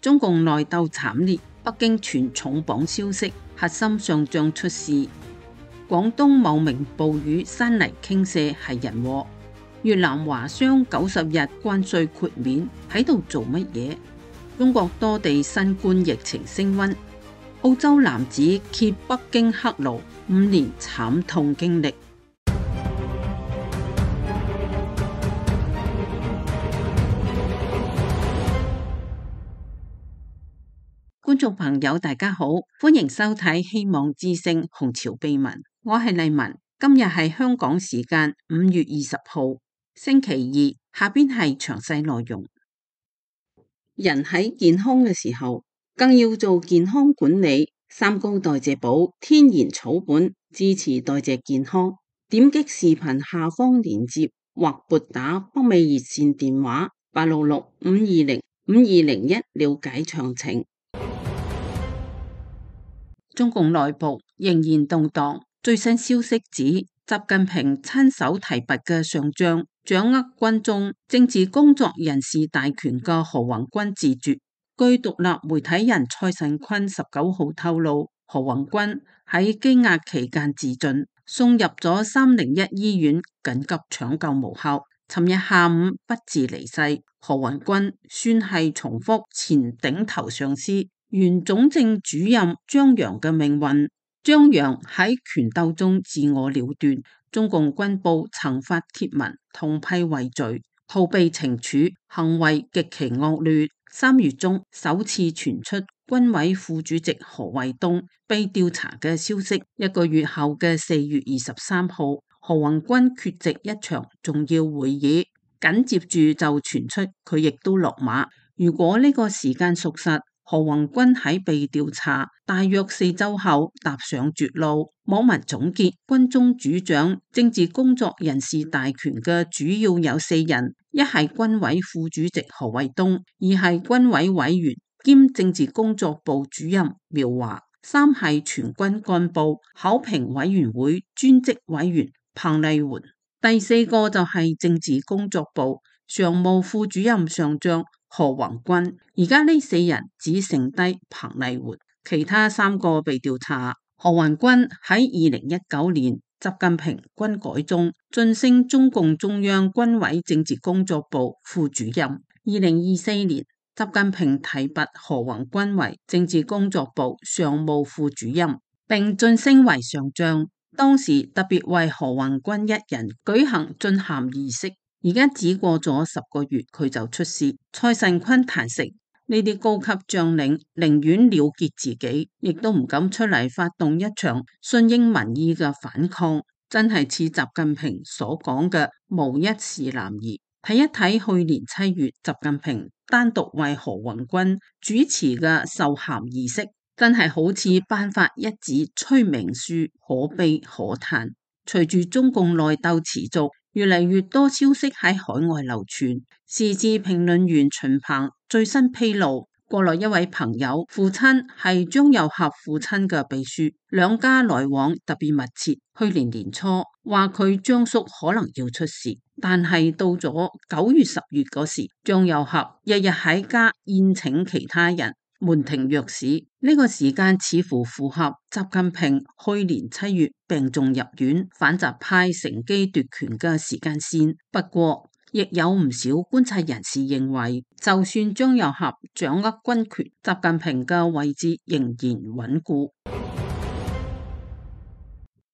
中共內鬥慘烈，北京傳重磅消息，核心上將出事。廣東茂名暴雨山泥傾瀉係人禍。越南華商90日關稅豁免喺度做乜嘢？中國多地新冠疫情升溫。澳洲男子揭北京黑奴5年慘痛經歷。觀眾朋友大家好，歡迎收睇希望之聲紅潮秘聞，我係麗文。今日係香港時間5月20號星期二，下邊係詳細內容。人喺健康嘅時候，更要做健康管理。三高代謝寶天然草本，支持代謝健康。點擊視頻下方鏈接或撥打北美熱線電話866-520-5201了解詳情。中共內部仍然動盪，最新消息指習近平親手提拔嘅上將，掌握軍中政治工作人士大權嘅何宏軍自絕。據獨立媒體人蔡慎坤19號透露，何宏軍喺羈押期間自盡，送入咗301醫院緊急搶救無效，尋日下午不治離世。何宏軍算係重複前頂頭上司原總政主任張陽嘅命運。張陽喺權鬥中自我了斷，中共軍部曾發帖文痛批畏罪，逃避懲處，行為極其惡劣。3月中首次傳出軍委副主席何衛東被調查嘅消息，1個月後嘅4月23號，何宏軍缺席一場重要會議，緊接住就傳出佢亦都落馬。如果呢個時間屬實，何宏軍喺被調查大約4週後踏上絕路。網民總結，軍中主掌政治工作人士大權嘅主要有4人，一係軍委副主席何衛東，二係軍委委員兼政治工作部主任苗華，三係全軍幹部考評委員會專職委員彭麗媛，第4個就係政治工作部常務副主任上將何宏軍。而家呢4人只剩低彭麗媛，其他3個被調查。何宏軍喺2019年習近平軍改中晉升中共中央軍委政治工作部副主任。2024年習近平提拔何宏軍為政治工作部常務副主任，並晉升為上將。當時特別為何宏軍一人舉行晉銜儀式。而家只過咗10個月，佢就出事。蔡慎坤坦承，呢啲高級將領寧願了結自己，亦都唔敢出嚟發動一場順應民意嘅反抗，真係似習近平所講嘅無一是男兒。睇一睇去年7月習近平單獨為何宏軍主持嘅授銜儀式，真係好似頒發一紙催命書，可悲可嘆。隨住中共內鬥持續，越嚟越多消息喺海外流傳。時事評論員秦鵬最新披露，國內一位朋友父親係張又俠父親嘅秘書，兩家來往特別密切。去年年初話佢張叔可能要出事，但係到咗9月10月嗰時，張又俠日日喺家宴請其他人，門庭若市。呢個時間似乎符合習近平去年7月病重入院，反習派乘機奪權嘅時間線。不過亦有唔少觀察人士認為，就算張又俠掌握軍權，習近平嘅位置仍然穩固。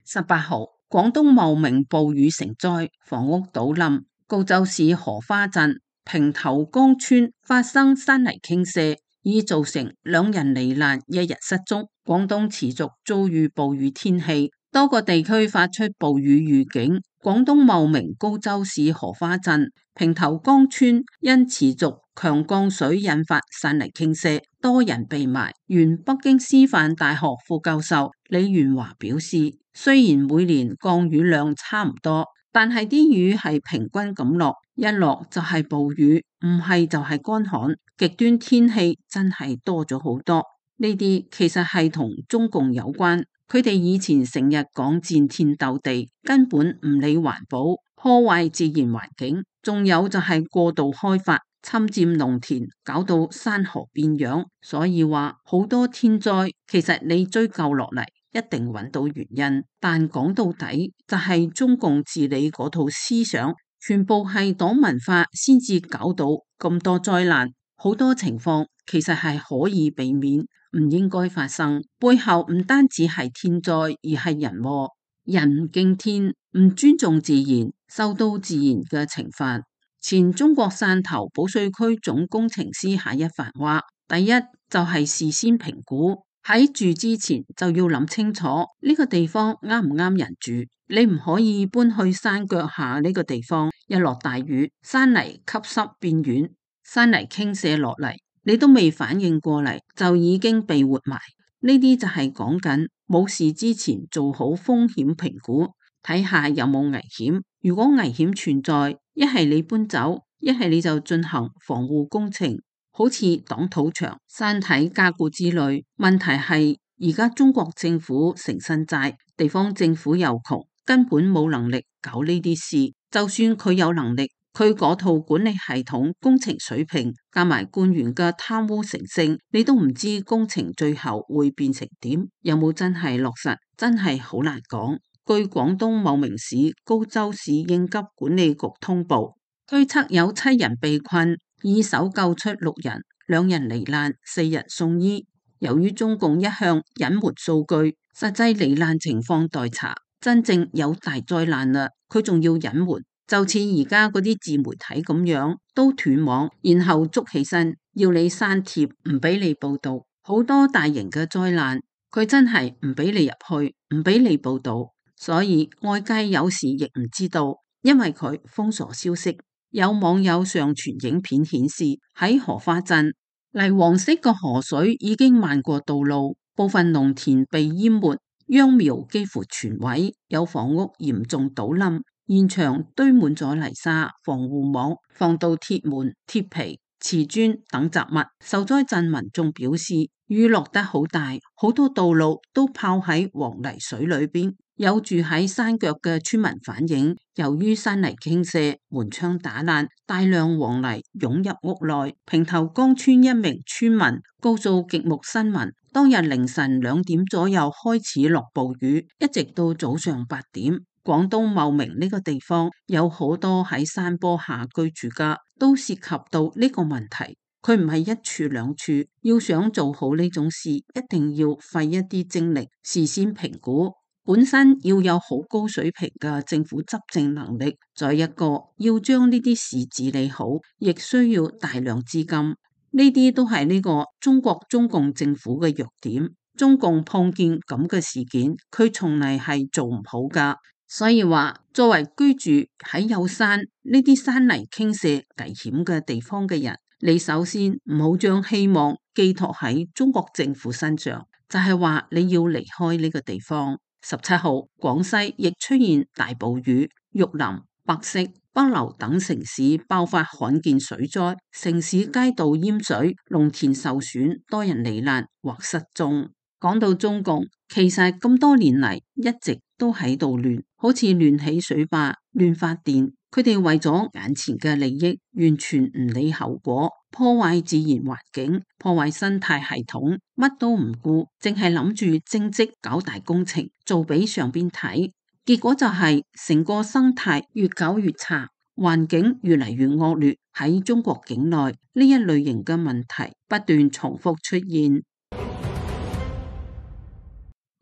18號，廣東茂名暴雨成災，房屋倒冧，高州市荷花鎮平頭江村發生山泥傾瀉，已造成2人罹難，1人失蹤。廣東持續遭遇暴雨天氣，多個地區發出暴雨預警。廣東茂名高州市荷花鎮平頭江村因持續強降水引發山泥傾瀉，多人被埋。原北京師範大學副教授李元華表示，雖然每年降雨量差唔多，但係啲雨係平均咁落，一落就係暴雨，唔係就係乾旱，極端天氣真係多咗好多。呢啲其實係同中共有關。佢哋以前成日講戰天鬥地，根本唔理環保，破壞自然環境，仲有就係過度開發，侵佔農田，搞到山河變樣。所以話好多天災，其實你追究落嚟一定揾到原因，但講到底就係中共治理嗰套思想，全部係黨文化先至搞到咁多災難。好多情況其實係可以避免，唔應該發生。背後唔單止係天災，而係人禍。人唔敬天，唔尊重自然，受到自然嘅懲罰。前中國汕頭保稅區總工程師夏一帆話：第一就係事先評估，喺住之前就要諗清楚呢個地方啱唔啱人住。你唔可以搬去山腳下呢個地方，一落大雨，山泥吸濕變軟，山泥傾瀉落嚟，你都未反應過嚟，就已經被活埋。呢啲就係講緊冇事之前做好風險評估，睇下有冇危險。如果危險存在，一係你搬走，一係你就進行防護工程，好似擋土牆、山體加固之類。問題係而家中國政府成身債，地方政府又窮，根本冇能力搞呢啲事。就算佢有能力，佢嗰套管理系統、工程水平，加埋官員嘅貪污成性，你都唔知工程最後會變成點，有冇真係落實，真係好難講。據廣東茂名市高州市應急管理局通報，推測有7人被困，已搜救出6人，2人罹難，4人送醫。由於中共一向隱瞞數據，實際罹難情況待查，真正有大災難啦，佢仲要隱瞞。就似而家嗰啲自媒體咁樣，都斷網，然後捉起身要你刪帖，唔俾你報道。好多大型嘅災難，佢真係唔俾你入去，唔俾你報道。所以外界有時亦唔知道，因為佢封鎖消息。有網友上傳影片顯示，喺荷花鎮泥黃色嘅河水已經漫過道路，部分農田被淹沒，秧苗幾乎全毀，有房屋嚴重倒冧。現場堆滿咗泥沙、防護網、防盜鐵門、鐵皮、瓷磚等雜物。受災鎮民眾表示，雨落得好大，好多道路都泡喺黃泥水裏邊。有住喺山腳嘅村民反映，由於山泥傾瀉、門窗打爛，大量黃泥湧入屋內。平頭崗村一名村民告訴極目新聞，當日凌晨2點左右開始落暴雨，一直到早上8點。廣東茂名呢個地方有好多喺山坡下居住嘅，都涉及到呢個問題。佢唔係一處兩處，要想做好呢種事，一定要費一啲精力，事先評估，本身要有好高水平嘅政府執政能力。再一個要將呢啲事治理好，亦需要大量資金。呢啲都係呢個中共政府嘅弱點。中共碰見咁嘅事件，佢從嚟係做唔好噶。所以話，作為居住喺有山呢啲山泥傾瀉危險嘅地方嘅人，你首先唔好將希望寄託喺中國政府身上，就係話你要離開呢個地方。17號，廣西亦出現大暴雨，玉林、百色、北流等城市爆發罕見水災，城市街道淹水，農田受損，多人罹難或失蹤。講到中共，其實咁多年嚟一直都喺度亂，好似亂起水壩、亂發電，佢哋為咗眼前嘅利益，完全唔理後果，破壞自然環境，破壞生態系統，乜都唔顧，淨係諗住政績搞大工程，做俾上邊睇，結果就係成個生態越搞越差，環境越嚟越惡劣。喺中國境內呢一類型嘅問題不斷重複出現。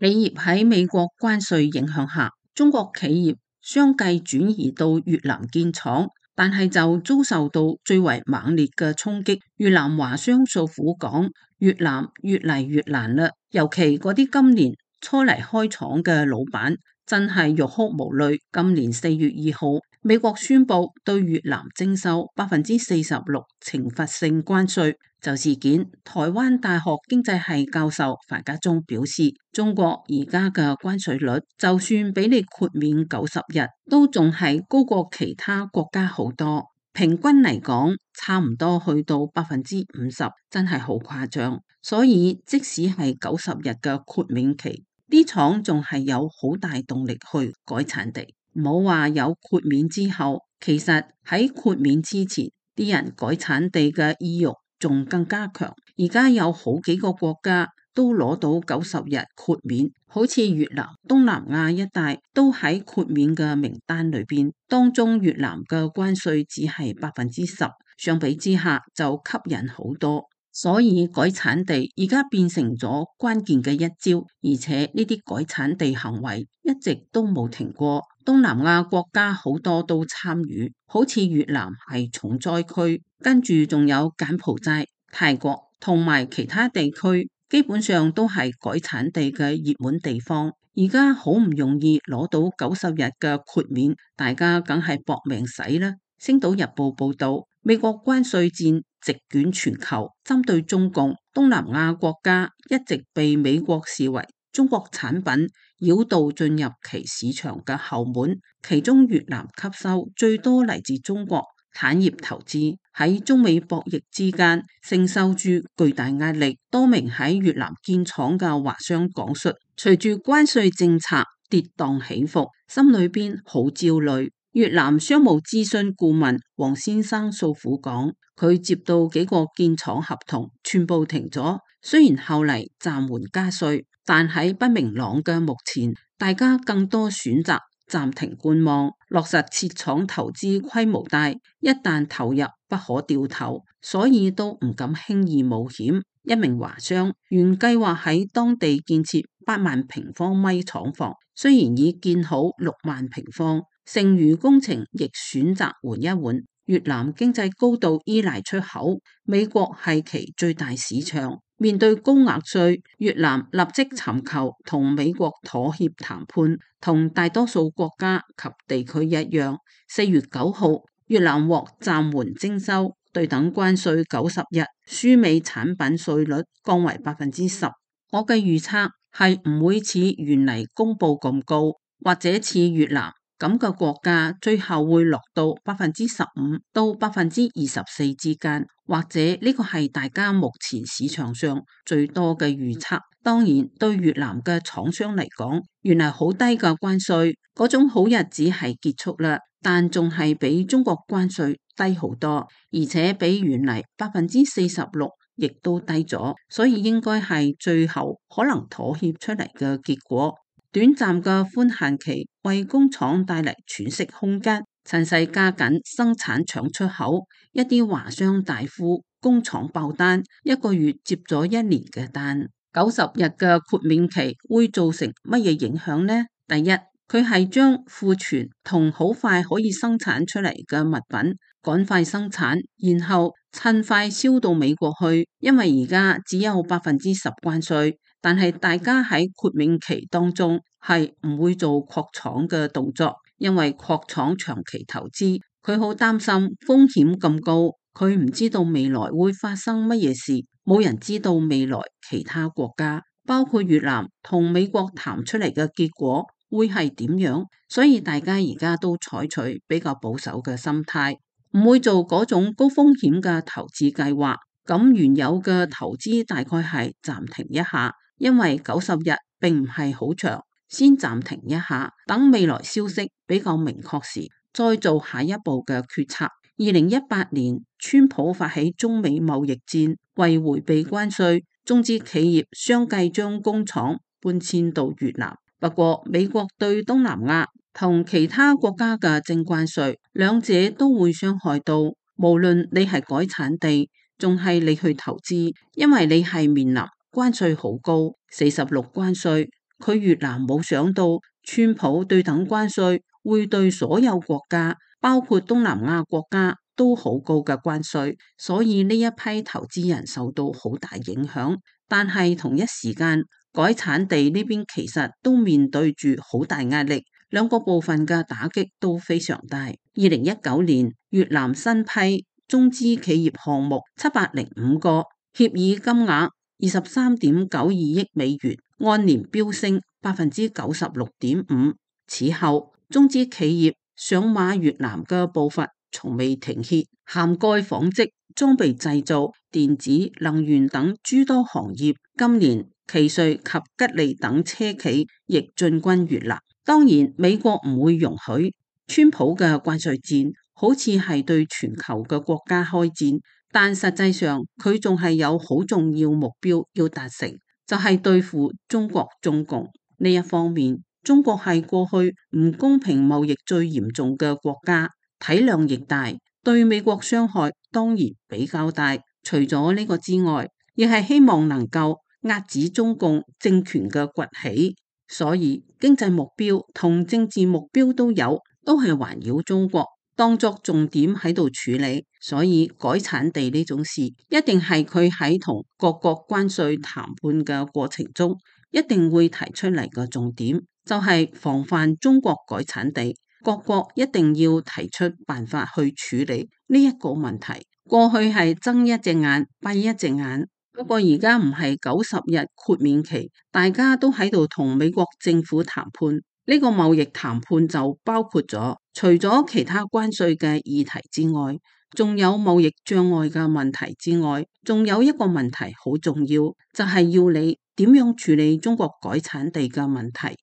企業喺美國關稅影響下，中國企業相繼轉移到越南建廠，但係就遭受到最為猛烈嘅衝擊。越南華商訴苦講，越南越嚟越難啦，尤其嗰啲今年初嚟開廠嘅老闆，真係欲哭無淚。今年4月2號，美國宣布對越南徵收46%懲罰性關稅。就事件，台灣大學經濟系教授樊家忠表示，中國而家嘅關稅率，就算俾你豁免90日，都仲係高過其他國家好多。平均嚟講，差唔多去到50%，真係好誇張。所以即使係90日嘅豁免期，啲廠仲係有好大動力去改產地。唔好話有豁免之後，其實喺豁免之前，啲人改產地嘅意欲仲更加強。而家有好幾個國家都攞到90日豁免，好似越南、東南亞一帶都喺豁免嘅名單裏邊。當中越南嘅關稅只係10%，相比之下就吸引好多。所以改產地而家變成咗關鍵嘅一招，而且呢啲改產地行為一直都冇停過。東南亞國家好多都參與，好似越南係重災區，跟住仲有柬埔寨、泰國同埋其他地區，基本上都係改產地嘅熱門地方。而家好唔容易攞到90日嘅豁免，大家梗係搏命使啦。星島日報報道，美國關稅戰席捲全球，針對中共，東南亞國家一直被美國視為中國產品繞道進入其市場嘅後門，其中越南吸收最多嚟自中國產業投資，喺中美博弈之間承受住巨大壓力。多名喺越南建廠嘅華商講述，隨住關稅政策跌宕起伏，心裏邊好焦慮。越南商務諮詢顧問黃先生訴苦講，佢接到幾個建廠合同，全部停咗。雖然後嚟暫緩加稅，但喺不明朗嘅目前，大家更多選擇暫停觀望，落實設廠投資規模大，一旦投入不可掉頭，所以都唔敢輕易冒險。一名華商原計劃喺當地建設8萬平方米廠房，雖然已建好6萬平方，剩餘工程亦選擇緩一緩。越南經濟高度依賴出口，美國係其最大市場。面對高額稅，越南立即尋求同美國妥協談判，同大多數國家及地區一樣。4月9號，越南獲暫緩徵收對等關稅90日，輸美產品稅率降為10%。我嘅預測係唔會似原嚟公布咁高，或者似越南咁嘅國家最後會落到15%到24%之間，或者呢個係大家目前市場上最多嘅預測。當然，對越南嘅廠商嚟講，原來好低嘅關稅，嗰種好日子係結束啦，但仲係比中國關稅低好多，而且比原嚟46%亦都低咗，所以應該係最後可能妥協出嚟嘅結果。短暫嘅寬限期為工廠帶嚟喘息空間，趁勢加緊生產搶出口。一啲華商大呼工廠爆單，一個月接咗1年嘅單。90日嘅豁免期會造成乜嘢影響呢？第一，佢係將庫存同好快可以生產出嚟嘅物品趕快生產，然後趁快銷到美國去。因為而家只有10%關稅，但係大家喺豁免期當中係唔會做擴廠嘅動作，因為擴廠長期投資，佢好擔心風險咁高，佢唔知道未來會發生乜嘢事，冇人知道未來其他國家，包括越南同美國談出嚟嘅結果會係點樣，所以大家而家都採取比較保守嘅心態，唔會做嗰種高風險嘅投資計劃。咁原有嘅投資大概係暫停一下，因為90日並唔係好長，先暫停一下，等未來消息比較明確時，再做下一步嘅決策。2018年，川普發起中美貿易戰，為迴避關稅，中資企業相繼將工廠搬遷到越南。不過，美國對東南亞同其他國家嘅徵關稅，兩者都會傷害到，無論你係改產地，仲係你去投資，因為你係面臨關稅好高，46關稅。佢越南冇想到，川普對等關稅會對所有國家，包括東南亞國家都好高嘅關稅，所以呢一批投資人受到好大影響。但係同一時間，改產地呢邊其實都面對住好大壓力，兩個部分嘅打擊都非常大。2019年，越南新批中資企業項目705個，協議金額23.92億美元，按年飆升96.5%。此後，中資企業上馬越南嘅步伐從未停歇，涵蓋紡織、裝備製造、電子、能源等諸多行業。今年，奇瑞及吉利等車企亦進軍越南。當然，美國唔會容許川普嘅關稅戰好似係對全球嘅國家開戰，但實際上佢仲係有好重要目標要達成，就係對付中國中共呢一方面。中國係過去唔公平貿易最嚴重嘅國家，體量亦大，對美國傷害當然比較大。除咗呢個之外，亦係希望能夠遏止中共政權嘅崛起，所以經濟目標同政治目標都有，都係環繞中國當作重點喺度處理。所以改產地呢種事，一定係佢喺同各國關稅談判嘅過程中，一定會提出嚟嘅重點，就係防範中國改產地。各國一定要提出辦法去處理呢一個問題。過去係睜一隻眼閉一隻眼，不過而家唔係90日豁免期，大家都喺度同美國政府談判。呢個貿易談判就包括咗除咗其他關稅嘅議題之外，仲有貿易障礙嘅問題之外，仲有一個問題好重要，就係要你點樣處理中國改產地嘅問題。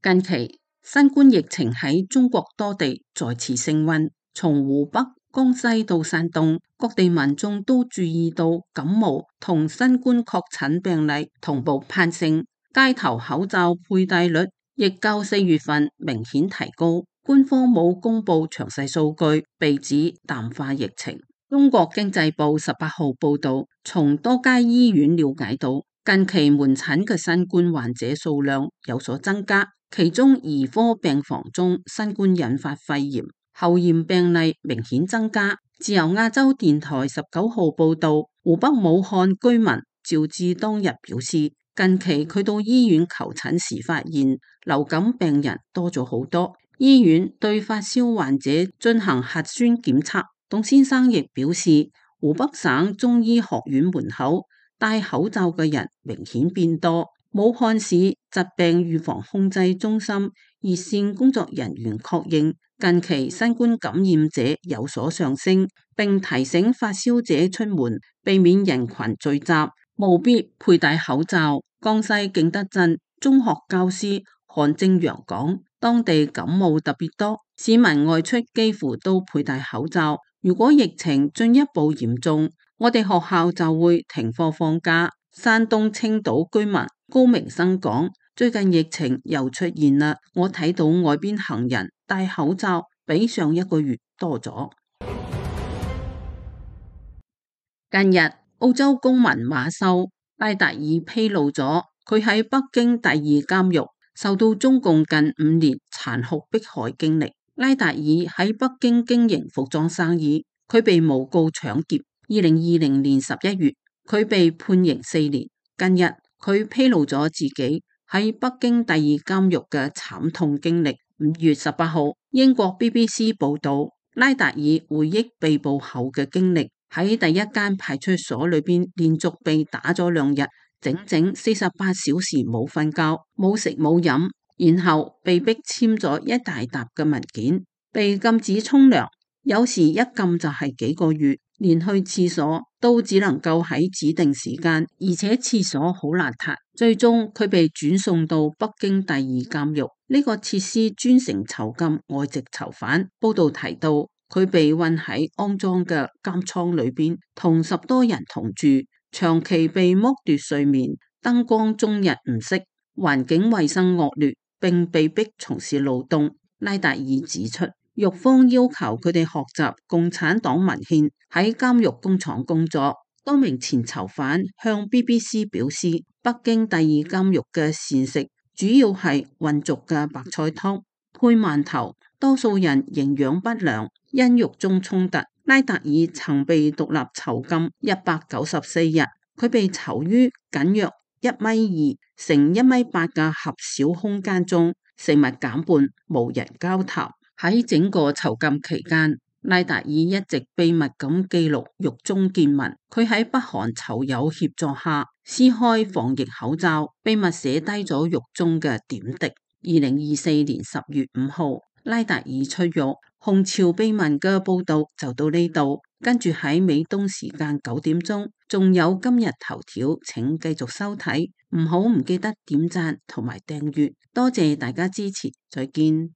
近期新冠疫情喺中國多地再次升溫，從湖北、江西到山東，各地民眾都注意到感冒同新冠確診病例同步攀升，街頭口罩佩戴率亦較4月份明顯提高。官方冇公布詳細數據，被指淡化疫情。中國經濟報18號報道，從多家醫院了解到，近期門診嘅新冠患者數量有所增加，其中兒科病房中新冠引發肺炎後驗病例明顯增加。自由亞洲電台19號報道，湖北武漢居民趙志當日表示，近期佢到醫院求診時發現流感病人多咗好多，醫院對發燒患者進行核酸檢測。董先生亦表示，湖北省中醫學院門口戴口罩嘅人明顯變多。武漢市疾病預防控制中心熱線工作人員確認，近期新冠感染者有所上升，並提醒發燒者出門避免人群聚集，務必佩戴口罩。江西景德鎮中學教師韓正陽講，當地感冒特別多，市民外出幾乎都佩戴口罩。如果疫情進一步嚴重，我哋學校就會停課放假。山東青島居民高明生講，最近疫情又出現啦，我睇到外邊行人戴口罩比上一個月多咗。近日，澳洲公民馬修拉達爾披露咗佢喺北京第二監獄受到中共近5年殘酷迫害經歷。拉達爾喺北京經營服裝生意，佢被誣告搶劫。2020年11月，佢被判刑4年。近日，佢披露咗自己喺北京第二監獄嘅慘痛經歷。5月18號，英國 BBC 報道，拉達爾回憶被捕後嘅經歷，喺第一間派出所裏邊連續被打咗2日，整整48小時冇瞓覺、冇食冇飲。然後被逼簽咗一大沓嘅文件，被禁止沖涼，有時一禁就係幾個月，連去廁所都只能夠喺指定時間，而且廁所好邋遢。最終佢被轉送到北京第二監獄，呢個設施專程囚禁外籍囚犯。報道提到，佢被困喺骯髒嘅監倉裏邊，同10多人同住，長期被剝奪睡眠，燈光終日唔熄，環境衛生惡劣，並被逼從事勞動。拉達爾指出，獄方要求佢哋學習共產黨文獻，喺監獄工廠工作。多名前囚犯向 BBC 表示，北京第二監獄嘅膳食主要係混濁嘅白菜湯配饅頭，多數人營養不良。因獄中衝突，拉達爾曾被獨立囚禁194日，佢被囚於僅約1.2米乘1.8米嘅狹小空間中，食物減半，無人交談。喺整個囚禁期間，拉達爾一直秘密咁記錄獄中見聞。佢喺北韓囚友協助下撕開防疫口罩，秘密寫低咗獄中嘅點滴。2024年10月5號，拉達爾出獄。紅潮秘聞嘅報道就到呢度，跟住喺美東時間9點鐘，仲有今日頭條，請繼續收睇，唔記得點讚同埋訂閱，多謝大家支持，再見。